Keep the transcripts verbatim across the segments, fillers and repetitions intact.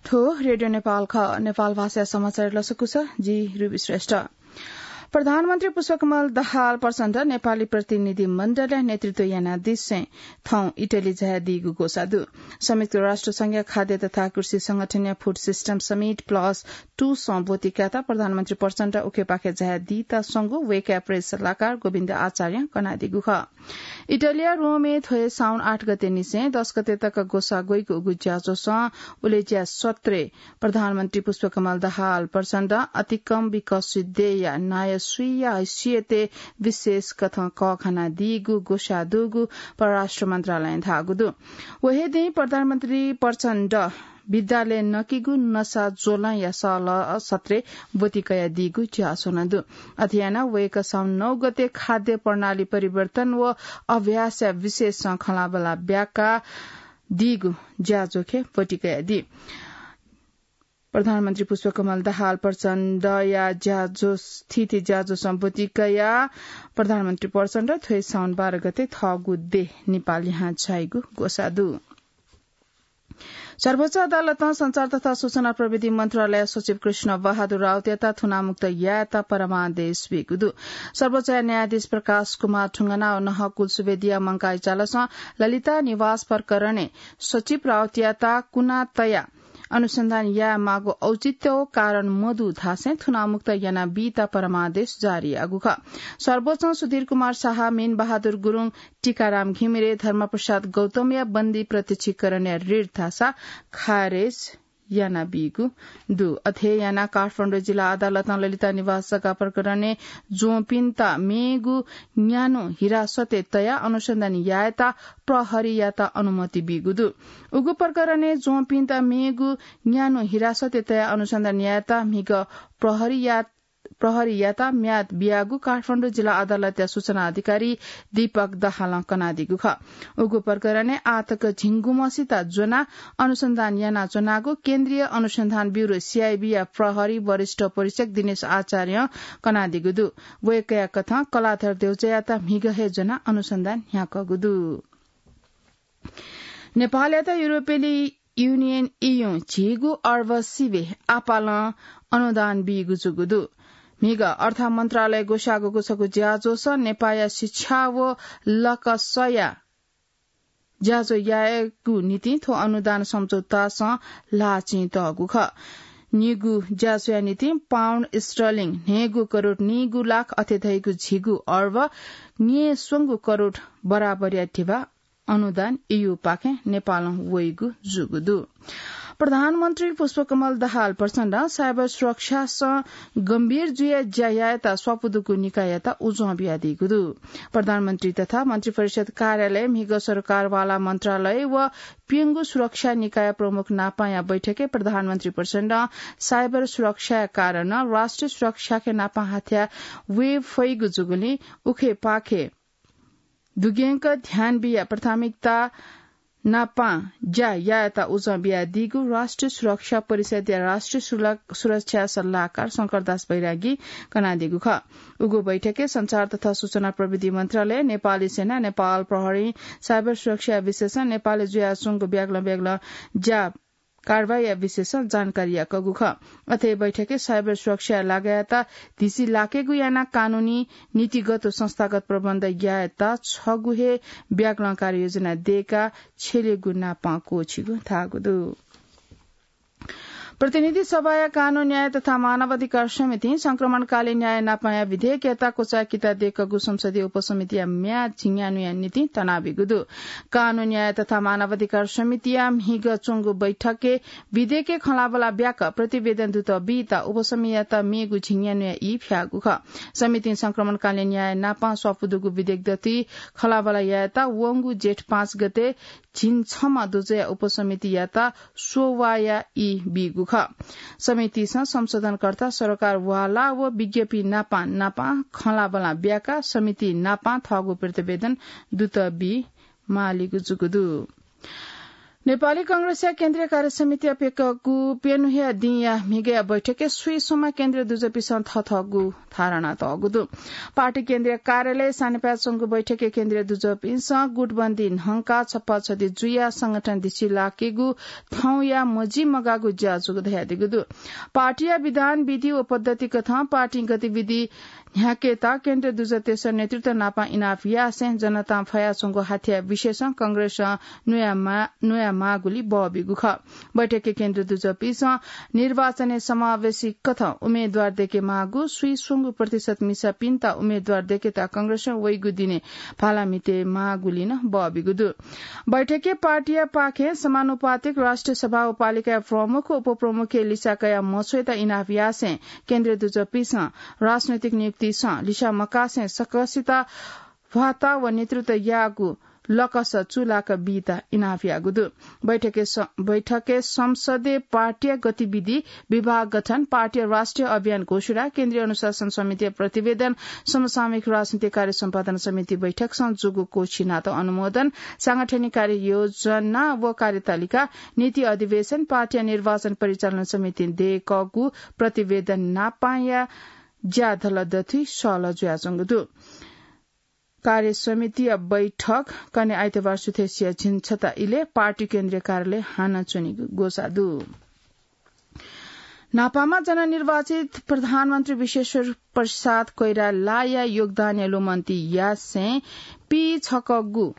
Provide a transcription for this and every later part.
थ्व रेडियो नेपाल खः। नेपाल भाषा समाचार लसकुस, जि रुबी श्रेष्ठ। प्रधानमन्त्री पुष्पकमल दाहाल प्रचण्ड नेपाली प्रतिनिधि मण्डलया नेतृत्व यानादिसें थौं इटली झायादीगु ग्वसाः दु। संयुक्त राष्ट्र संघया खाद्य तथा कृषि संगठनया Food System Summit Plus Two सं ब्वति कायेत प्रधानमन्त्री प्रचण्ड उखेपाखे झायादीत स्वंगु वय्कःया प्रेस सल्लाहकार गोविन्द आचार्यं कनादीगु खः। इटलीया रोमय् थ्व हे साउन आठ गते निसें दस गते तक ग्वसाः ग्वइगु उगु ज्याझ्वलय् उलेज्या सत्रय् प्रधानमन्त्री पुष्पकमल दाहाल प्रचण्डं अतिकं विकसित देय्‌या नायः स्वीया हैसियतय् विशेष कथं कःघानादीगु ग्वसाः दुगु परराष्ट्र मन्त्रालयं धाःगु दु। व हे दिं प्रधानमन्त्री प्रचण्ड विद्यालयय् नकिगु नसा ज्वलंया सहलह सत्रय् ब्वति कयादीगु ज्याझ्वः नं दु। अथे यानाः वय्कः साउन नौ गते खाद्य प्रणाली परिवर्तन व अभ्यासया विषयसं खँल्हाबल्हा ब्याकादीगु ज्याझ्वखे ब्वति कयादी। प्रधानमन्त्री पुष्पकमल दाहाल प्रचण्डया ज्याझ्वः, थीथी ज्याझ्वलय् ब्वति कयाः प्रधानमन्त्री प्रचण्ड थ्व हे साउन बाह्र गते थःगु देय् नेपाल लिहां झाइगु ग्वसाः दु। सर्वोच्च अदालतं सञ्चार तथा सूचना प्रविधि मन्त्रालय सचिव कृष्ण बहादुर राउतयात थुनामुक्त यायेत परमादेश बीगु दु। सर्वोच्चया न्यायाधीश प्रकाश कुमार ठुङ्गना व नहकुल सुवेदीया मंकाः इचालसं ललिता निवास प्रकरणय् सचिव राउतयात कुना तयाः अनुसन्धान यायेमाःगु औचित्य व कारण मदु धासें थुनामुक्त यानाबीत परमादेश जारी याःगु खः। सर्वोच्चं सुधीर कुमार शाह, मीन बहादुर गुरुङ, टीकाराम घिमिरे, धर्मप्रसाद गौतमया बन्दी प्रत्यक्षीकरणया रिट धाःसा खारेज यानाबीगु दु। अथे यानाः काठमाडौं जिल्ला अदालतं ललिता निवास जग्गा प्रकरणय् ज्वंपिन्त मेगु न्यान्हु हिरासतय् तयाः अनुसन्धान यायेत प्रहरीयात अनुमति बीगु दु। उगु प्रकरणय् ज्वंपिन्त मेगु न्यान्हु हिरासतय् तयाः अनुसन्धान यायेत म्हिगः प्रहरीया प्रहरीयात म्याद बियागु काठमाडौं जिल्ला अदालतया सूचना अधिकारी दीपक दाहालं कनादीगु खः। उगु प्रकरणय् आःतक झिंगुम्हसित ज्वनाः अनुसन्धान यानाच्वनागु केन्द्रीय अनुसन्धान ब्यूरो, सीआईबीया प्रहरी वरिष्ठ परीक्षक दिनेश आचार्यं कनादीगु दु। वय्कःया कथं कलाधर देउचयात म्हिगः हे ज्वनाः अनुसन्धान न्ह्याकःगु दु। नेपालयात युरोपेली युनियन ईयुं झिगू अर्ब सिबें आपालं अनुदान बीगु जूगु दु। म्हिगः अर्थ मन्त्रालयं ग्वसाःगु छगू ज्याझ्वलय् नेपाःया शिक्षा व लकसया ज्याझ्वः यायेगु निंतिं थ्व अनुदान सम्झौतासं ल्हाः चिं तःगु खः। निगू ज्याझ्वःया निंतिं पाउन्ड स्टर्लिङ न्हय्गू करोड निगू लाख अथे धइगु झिगू अर्ब न्यय्स्वंगू करोड बराबरया धिबा अनुदान ईयुपाखें नेपालं वइगु जूगु दु। प्रधानमन्त्री पुष्पकमल दाहाल प्रचण्डं साइबर सुरक्षासं गम्भीर जुयाः ज्या यायेत स्वापू दुगु निकाययात उजं बियादीगु दु। प्रधानमन्त्री तथा मन्त्रिपरिषद कार्यालय, म्हिगः सरकारवाला मन्त्रालय व प्यंगू सुरक्षा निकाय प्रमुख नापांया बैठकय् प्रधानमन्त्री प्रचण्डं साइबर सुरक्षाया कारणं राष्ट्रिय सुरक्षाखे नापां हाथ्या वये फइगु जूगुलिं उखेपाखे दुग्यंक ध्यान बियाः प्राथमिकता नापां ज्या यायेत उजं बियादीगु राष्ट्रिय सुरक्षा परिषदया राष्ट्रिय सुरला-, सुरक्षा सल्लाहकार शंकरदास बैरागीं कनादीगु खः। उगु बैठकय् सञ्चार तथा सूचना प्रविधि मन्त्रालय, नेपाली सेना, नेपाल प्रहरी, साइबर सुरक्षा विशेषं नेपालय् जुयाच्वंगु ब्यागलं ब्यागलं ज्या कारवाहीया विषयसं जानकारी याकःगु खः। अथे बैठकय् साइबर सुरक्षा लागायेत धिसि लाकेगु यानाः कानूनी, नीतिगत व संस्थागत प्रबन्ध यायेत छगू हे ब्यागलं कार्ययोजना दयेकाः छ्यलेगु नापां क्वःछिगु धाःगु दु। प्रतिनिधि सभाया कानून, न्याय तथा मानवाधिकार समितिं संक्रमणकालीन न्याय नापांया विधेयकयात क्वचाय् किता दयेकूगु संसदीय उपसमितिया म्याद झिंन्यान्हुया निंतिं तनाबीगु दु। कानून, न्याय तथा मानवाधिकार समितिया म्हिगः च्वंगु बैठकय् विधेयकय् खँल्हाबल्हा ब्याकाः प्रतिवेदन दुत बीत उपसमितियात मेगु झिंन्यान्हुया ई फ्याःगु खः। समितिं संक्रमणकालीन न्याय नापां स्वापू दुगु विधेयक दथुइ खँल्हाबल्हा यायेत वंगु जेठ पाँच गते झिंछम्ह दुजःया उपसमितियात स्ववाःया ई बीगु खः। समितिसं संशोधनकर्ता, सरकार वाला व विज्ञपिं नापां नापां खँल्हाबल्हा ब्याकाः समिति नापां थःगु प्रतिवेदन दुत बी मालीगु जूगु दु। नेपाली कांग्रेसया केन्द्रीय कार्य समितिया प्यकःगु प्यन्हुया दिंया म्हिगःया बैठकय् स्वीसम्म केन्द्रीय दुजःपिसं थथःगु धारणा तःगु दु। पार्टी केन्द्रीय कार्यालय सानेपाय् च्वंगु बैठकय् केन्द्रीय दुजःपिसं गुटबन्दी न्हंकाः छप्पा छधी जुयाः संगठन दिसि लाकेगु थौंया मजिमगाःगु ज्या जूगु धयादीगु दु। पार्टीया विधान, विधि व पद्धति कथं पार्टी गतिविधि न्ह्याकेत केन्द्रीय दुजःतय्सं नेतृत्व नाप इनाप यासें जनतां फयाच्वंगु हाथ्या विषयसं कांग्रेसं न्वया मा-, न्वया माःगुलिं बः बीगु खः। बैठकय् केन्द्रीय दुजःपिसं निर्वाचनय् समावेशी कथं उम्मेदवार दयेके माःगु, स्वीस्वंगू प्रतिशत मिसापिन्त उम्मेदवार दयेकेत कांग्रेसं वइगु दिने भाला म्हिते माःगुलिं नं बः बीगु दु। बैठकय् पार्टीया पाखें समानुपातिक राष्ट्रिय सभा व पालिकाया प्रमुख व उपप्रमुखया लिसा कयाः मछ्वयेत इनाप यासें केन्द्रीय दुजःपिसं राजनैतिक नियुक्तिसं लिसा मकासें सकसित भ्वाता व नेतृत्व याःगु लकस चूलाक बीत इनाप याःगु दु। बैठकय् स-, बैठकय् संसदय् पार्टीया गतिविधि, विभाग गठन, पार्टीया राष्ट्रिय अभियान घोषणा, केन्द्रीय अनुशासन समितिया प्रतिवेदन, समसामयिक राजनीतिक कार्य सम्पादन समिति बैठकसं जूगु कोछिनात अनुमोदन, सांगठनिक कार्य योजना व कार्यतालिका, नीति अधिवेशन, पार्टीया निर्वाचन परिचालन समितिं दयेकःगु प्रतिवेदन नापांया ज्या धलदथुइ सहलह जुयाच्वंगु दु। कार्य समितिया बैठक कन्हय् आइतबार सुथसिया झिंछता इलय् पार्टी केन्द्रीय कार्यालय हानं च्वनीगु ग्वसाः दु। न्हापांमा जननिर्वाचित प्रधानमन्त्री विश्वेश्वर प्रसाद कोइरालाया योगदानया लुमन्ति यासें पीछकःगु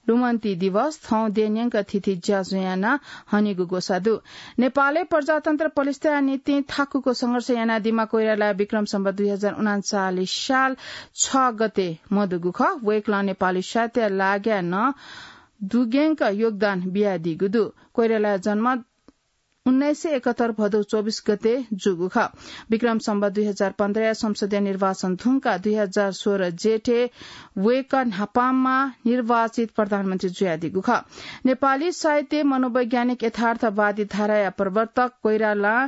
लुमन्ति दिवस थौं देय् न्यंक थीथी ज्याझ्वः यानाः हनीगु ग्वसाः दु। नेपालय् प्रजातन्त्र प्रतिष्ठाया निंतिं थाकुगु संघर्ष यानादीम्ह कोइराला विक्रम सम्वत दुई हजार उनान्चालिस साल छ गते मदुगु खः। वय्कलं नेपाली साहित्यया लागाय् नं दुग्यंक योगदान बियादीगु दु। कोइरालाया जन्म उन्नाइस सय एकहत्तर भदौ चौबिस गते जूगु खः। विक्रम सम्वत दुई हजार पन्ध्रया संसदीय निर्वाचन धुंकाः दुई हजार सोह्र जेठय् वय्कः न्हापांमा निर्वाचित प्रधानमन्त्री जुयादीगु खः। नेपाली साहित्यय् मनोवैज्ञानिक यथार्थवादी धाराया प्रवर्तक कोइरालां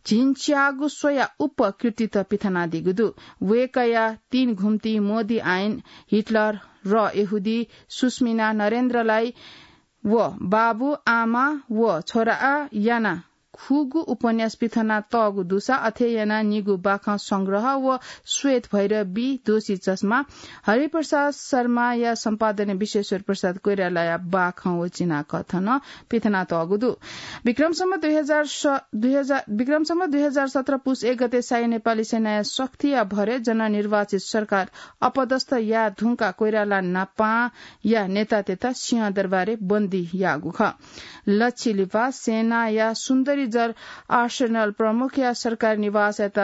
झिंच्याःगु स्वयाः उप्वः कृतित पिथनादीगु दु। वय्कःया तीन घुम्ति, मोदी आइन, हिटलर र यहूदी, सुस्मिना नरेन्द्रलाई व बाबु, आमा व छोरां यानाः खुगू उपन्यास पिथनातःगु दुसा अथे यानाः निगू बाखं संग्रह व श्वेत भैरवी, दोषी चश्मा, हरिप्रसाद शर्माया सम्पादनय् विश्वेश्वर प्रसाद कोइरालाया बाखं व चिनाकथं पिथनातःगु दु। विक्रम सम्वत दुई हजार स-, दुई हजार, विक्रम सम्वत दुई हजार सत्र पुस एक गते शाही नेपाली सेनाया शक्तिया भरय् जननिर्वाचित सरकार अपदस्थ याये धुंकाः कोइराला नापांया नेतातय्त सिंहदरबारय् बन्दी याःगु खः। लच्छि लिपा सेनाया सुन्दरीजल आर्सेनल प्रमुखया सरकारी निवासयात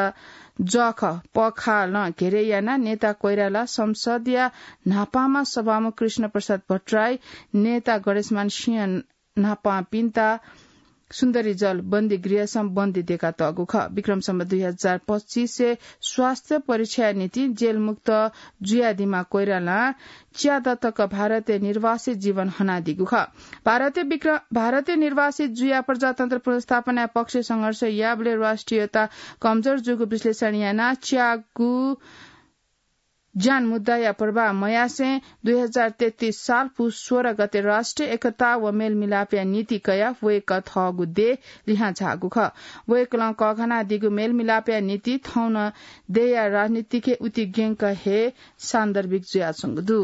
जःखः पखालं घेरय् यानाः नेता कोइराला, संसदया न्हापांमा सभामुख कृष्ण प्रसाद भट्टराई, नेता गणेशमान सिंह न्हापांपिन्त सुन्दरीजल बन्दीगृहसं बन्दी दयेकातःगु खः। विक्रम सम्वत दुई हजार पच्चिसय् स्वास्थ्य परीक्षाया निंतिं जेलमुक्त जुयादीम्ह कोइरालां च्यादँ तक भारतय् निर्वासित जीवन हनादीगु खः। भारतय् विक्र-, भारतय् निर्वासित जुयाः प्रजातन्त्र पुनर्स्थापनाया पक्षय् संघर्ष याःबलय् राष्ट्रियता कमजोर जूगु विश्लेषण यानाः च्यागू ज्यान मुद्दाया प्रवाह मयासें दुई हजार तेत्तिस साल पुस सोह्र गते राष्ट्रिय एकता व मेलमिलापया निंतिं कयाः वय्कः थःगु देय् लिहां झाःगु खः। वय्कलं कःघानादीगु मेलमिलापया निंतिं थौं नं देय्या राजनीतिइ उतिग्यंक हे सान्दर्भिक जुयाच्वंगु दु।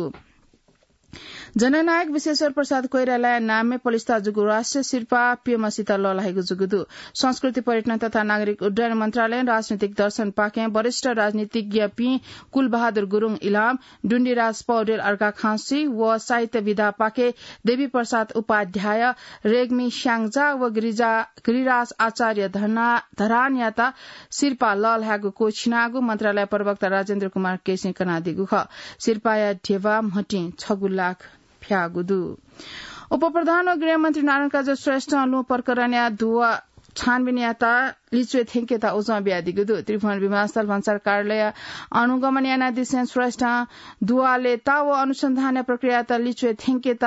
जननायक विश्वेश्वर प्रसाद कोइरालाया नामय् पलिस्था जूगु राष्ट्रिय सिरपाः प्यम्हसित लःल्हाइगु जूगु दु। संस्कृति, पर्यटन तथा नागरिक उड्डयन मन्त्रालयं राजनीतिक दर्शनपाखें वरिष्ठ राजनीतिज्ञपिं कुलबहादुर गुरुङ इलाम, डुण्डिराज पौडेल अर्घाखाँची व साहित्य विधापाखें देवी प्रसाद उपाध्याय, रेग्मी स्याङ्जा व गिरिजा-, गिरिराज आचार्य धना-, धरानयात सिरपाः लःल्हायेगु क्वःछिनागु मन्त्रालय प्रवक्ता राजेन्द्र कुमार केसीं कनादीगु खः। सिरपाःया ध्यबा म्हटिं छगू लाख फ्याःगु दु। उपप्रधान व गृहमन्त्री नारायण काजी श्रेष्ठं लुँ प्रकरणया दुवा छानबिन यायेत लिच्वय् थ्यंकेत उजं बियादीगु दु। त्रिभुवन विमानस्थल भन्सार कार्यालयं अनुगमन यानादिसें श्रेष्ठं दुवा लय्ता व अनुसन्धानया प्रक्रियायात लिच्वय् थ्यंकेत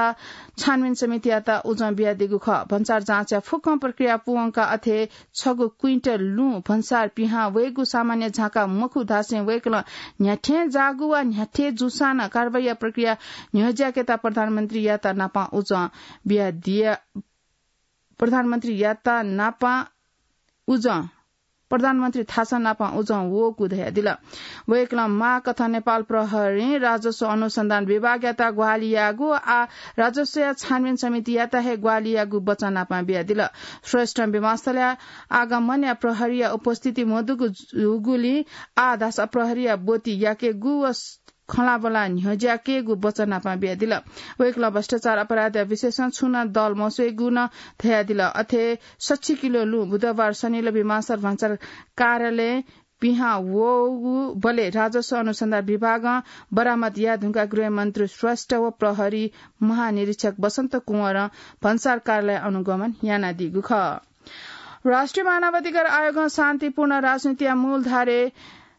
छानबिन समितियात उजं बियादीगु खः। भन्सार जाँचया फुक्कं प्रक्रिया पूवंकाः अथे छगू क्विन्टल लुँ भन्सार पिहां वयेगु सामान्य झाँक्री मखु धासें वय्कलं न्ह्याथें जाःगु वा न्ह्याथे जूसां नं कारवाहीया प्रक्रिया न्ह्यज्याकेत प्रधानमन्त्रीयात नापं उजं बियादिया, प्रधानमन्त्री याता नापा उजं प्रधानमन्त्री थासं नापं उजं वःगु धयादिल। वय्कलं माःकथं नेपाल प्रहरीं राजस्व अनुसन्धान विभागयात ग्वाहालि याःगु आ राजस्वया छानबिन समितियात हे ग्वाहालि याःगु वचन नापं बियादिल। श्रेष्ठ विमानस्थलया आगमनया प्रहरीया उपस्थिति मदुगु जूगुलिं आ धासा प्रहरीया ब्वति याकेगु व खँल्हाबल्हा न्ह्यज्याकेगु वचन नापं बियादिल। वय्कलं भ्रष्टाचार अपराधया विषयसं छुं नं दल मस्वयेगु नं धयादिल। अथे सच्छि किलो लुँ बुधबार सनिल विमानस्थल भन्सार कार्यालयं पिहां वःगु बलय् राजस्व अनुसन्धान विभागं बरामद याये धुंकाः गृहमन्त्री श्रेष्ठ व प्रहरी महानिरीक्षक बसन्त कुँवरं भन्सार कार्यालयं अनुगमन यानादीगु खः। राष्ट्रिय मानवाधिकार आयोगं शान्तिपूर्ण राजनीतिया मूलधारे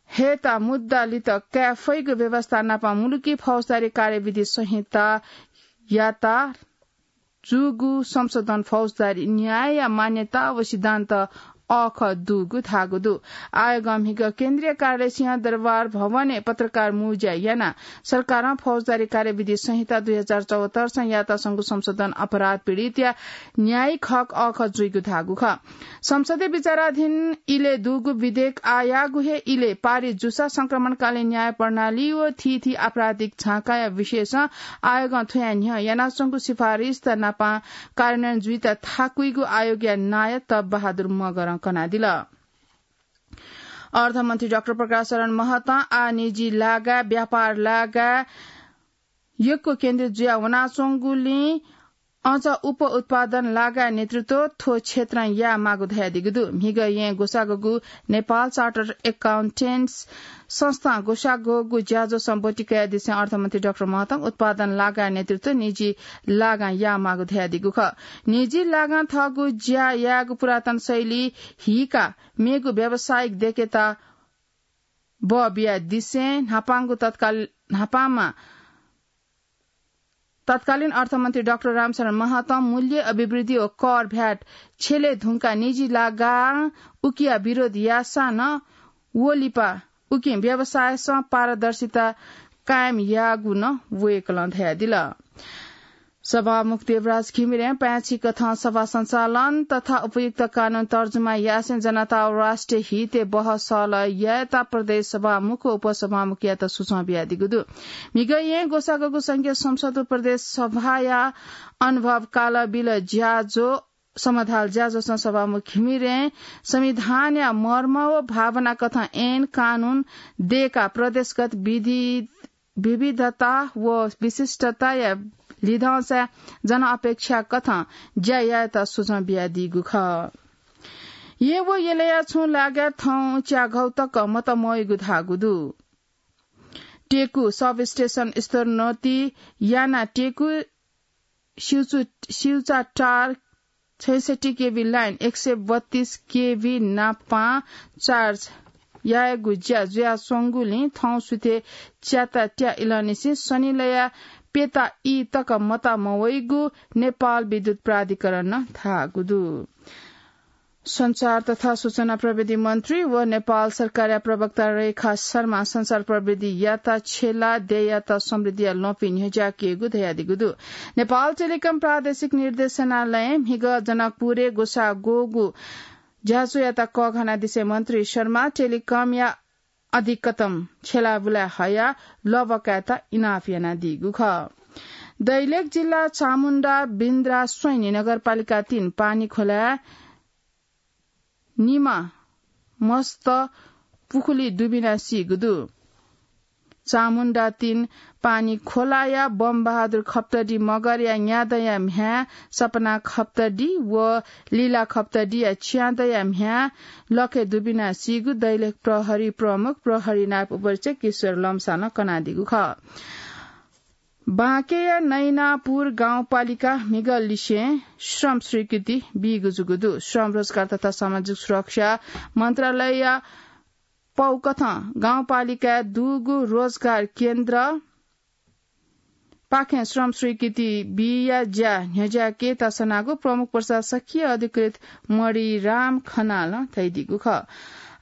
हयेत मुद्दा लित काये फइगु व्यवस्था नाप मुलुकी फौजदारी कार्यविधि संहितायात जूगु संशोधन फौजदारी न्यायया मान्यता व सिद्धान्त अःखः दुगु धाःगु दु। आयोगं म्हिगः केन्द्रीय कार्यालय सिंहदरबार भवनय् पत्रकार मुँज्या यानाः सरकारं फौजदारी कार्यविधि संहिता दुई हजार चौहत्तर सं यात संगु संशोधन अपराध पीडितया न्यायिक हक अःखः जुइगु धाःगु खः। संसदय् विचाराधीन इलय् दुगु विधेयक आयागु हे इलय् पारित जूसा संक्रमणकालीन न्याय प्रणाली व थीथी आपराधिक झाँकाया विषयसं आयोगं थुया न्ह्यः यानाच्वंगु सिफारिसत नापं कार्यान्वयन जुइत थाकुइगु आयोगया नायः तप बहादुर मगरं कनादिल। अर्थमन्त्री डाक्टर प्रकाश शरण महतं आ निजी लागा, व्यापार लागा यक्व केन्द्रित जुया वनाच्वंगुलिं अझ उप उत्पादन लागा नेतृत्व थ्व क्षेत्रं यायेमाःगु धयादीगु दु। म्हिगः येँ ग्वसाःगु नेपाल चार्टर्ड एकाउन्टेन्ट्स संस्थां ग्वसाःगु ज्याझ्वःसं ब्वति कयादिसें अर्थमन्त्री डाक्टर महतं उत्पादन लागा नेतृत्व निजी लागां यायेमाःगु धयादीगु खः। निजी लागां थःगु ज्या यायेगु पुरातन शैली हीकाः मेगु व्यावसायिक देकेत बः बियादिसें न्हापांगु तत्काल-, न्हापांमा तत्कालीन अर्थमन्त्री डाक्टर रामशरण महतं मूल्य अभिवृद्धि व कर भ्याट छ्यले धुंकाः निजी लागां उकिया विरोध याःसां नं व लिपा उकिं व्यवसायसं पारदर्शिता कायम याःगु नं वय्कलं धयादिल। सभामुख देवराज घिमिरें पाय्छि कथं सभा सञ्चालन तथा उपयुक्त कानून तर्जुमा यासें जनता व राष्ट्रिय हितय् बहस सहलह यायेत प्रदेश सभामुख व उपसभामुखयात सुचं बियादीगु दु। म्हिगः येँ ग्वसाःगु संघीय संसद व प्रदेश सभाया अनुभव कालबिल ज्याझ्वः समाधाल ज्याझ्वःसं सभामुख घिमिरें संविधानया मर्म व भावना कथं ऐन कानून दयेकाः प्रदेशगत विधि विविधता व विशिष्टताया लिधंसाय् जनअपेक्षा कथं ज्या यायेत सुचं बियादीगु खः। येँ व यलया छुं लागाय् थौं च्याघौ तक मत मवइगु धाःगु दु। टेकु सब स्टेशन स्तरोन्नति यानाः टेकु सिउचु-, सिउचा टार छैसट्ठी केभी लाइन एक सय बत्तीस केभी नापं चार्ज यायेगु ज्या जुयाच्वंगुलिं थौं सुथय् च्याता त्या इलंनिसें सनिलया प्यता ई तक मत मवइगु नेपाल विद्युत प्राधिकरणं धाःगु दु। सञ्चार तथा सूचना प्रविधि मन्त्री व नेपाल सरकारया प्रवक्ता रेखा शर्मा सञ्चार प्रविधि यात छेला देयात समृद्धिया लँपि न्ह्यज्याकेगु धयादीगु दु। नेपाल टेलिकम प्रादेशिक निर्देशनालयं म्हिगः जनकपुरय् ग्वसाः ग्वःगु ज्याझ्वःयात कःघानादिसें मन्त्री शर्मा टेलिकमया अधिकतम छेला बुलाय् हयाः लबकायेत इनाप यानादीगु खः। दैलेख जिल्ला चामुण्डा बिन्द्रा स्वैनी नगरपालिका तीन पानी खोलाय् निमा मस्त पुखुली दुबिना सीगु दु। चामुण्डा तीन पानी खोलाया बम बहादुर खप्तडी मगरया न्यादँया म्ह्याय् सपना खप्तडी व लीला खप्तडीया च्यादँया म्ह्याय् लखे दुबिना सीगु दैलेख प्रहरी प्रमुख प्रहरी नायब उपरीक्षक किशोर लम्सालं कनादीगु खः। बाँकेया नैनापुर गाउँपालिका म्हिगः लिसें श्रम स्वीकृति बीगु जूगु दु। श्रम, रोजगार तथा सामाजिक सुरक्षा मन्त्रालयया पौकथं गाउँपालिकाय् दुगु रोजगार केन्द्र पाखें श्रम स्वीकृति बिया ज्या न्ह्यज्याकेत सनागु प्रमुख प्रशासकीय अधिकृत मणिराम खनालं धयादीगु खः।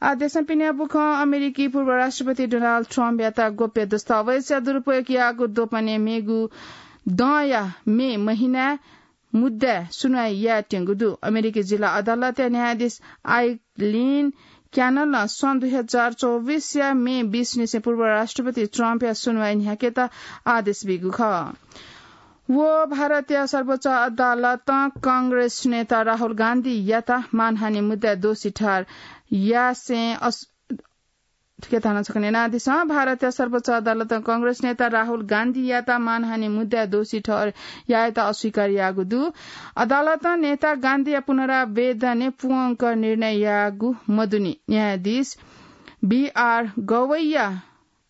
आः देशं पिने बुखं अमेरिकी पूर्व राष्ट्रपति डोनाल्ड ट्रम्पयात गोप्य दस्तावेजया दुरुपयोग याःगु द्वपनय् मेगु दँया मे महिनाय् मुद्दाय् सुनवाई यायेत्यंगु दु। अमेरिकी जिल्ला अदालतया न्यायाधीश आइलिन क्यानलं सन् दुई हजार चौबिसया मे बिस निसें पूर्व राष्ट्रपति ट्रम्पया सुनवाई न्ह्याकेत आदेश बीगु खः। व भारतया सर्वोच्च अदालतं कांग्रेस नेता राहुल गान्धीयात मानहानि मुद्दाय् दोषी ठहर यासें अस-, थुके थाना छकने नादिसँ। भारतया सर्वोच्च अदालतं कांग्रेस नेता राहुल गान्धीयात मानहानि मुद्दाय् दोषी ठहर यायेत अस्वीकार याःगु दु। अदालतं नेता गान्धीया पुनरावेदनय् पूवंक निर्णय याःगु मदुनि। न्यायाधीश बी आर गवैया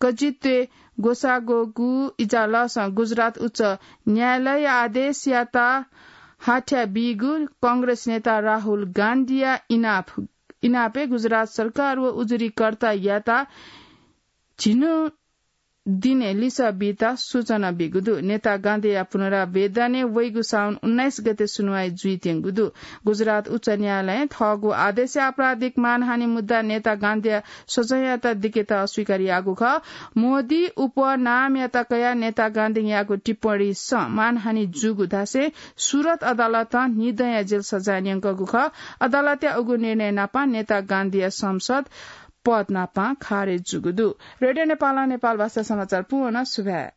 कजित्वे गोसागोगु इजालसं गुजरात उच्च न्यायालय आदेशयात हाथ्या बीगु कांग्रेस नेता राहुल गान्धीया इनाप, इनापय् गुजरात सरकार व उजुरीकर्तायात झिन्हु दिने लिसः बीत सूचना बीगु दु। नेता गान्धीया पुनरावेदनय् वइगु साउन उन्नाइस गते सुनवाई जुइत्यंगु दु। गुजरात उच्च न्यायालयं थःगु आदेशय् आपराधिक मानहानि मुद्दा नेता गान्धीया सजाययात दिकेत अस्वीकार याःगु खः। मोदी उपनामयात कयाः नेता गान्धीं याःगु टिप्पणीसं मानहानि जूगु धासें सुरत अदालतं न्हिदँया जेल सजाय न्यंकूगु खः। अदालतया उगु निर्णय नाप नेता गान्धीया संसद पद नाप खारेज जूगु दु। रेडियो नेपालं नेपाल भाषा समाचार पूवंक सुभाय्।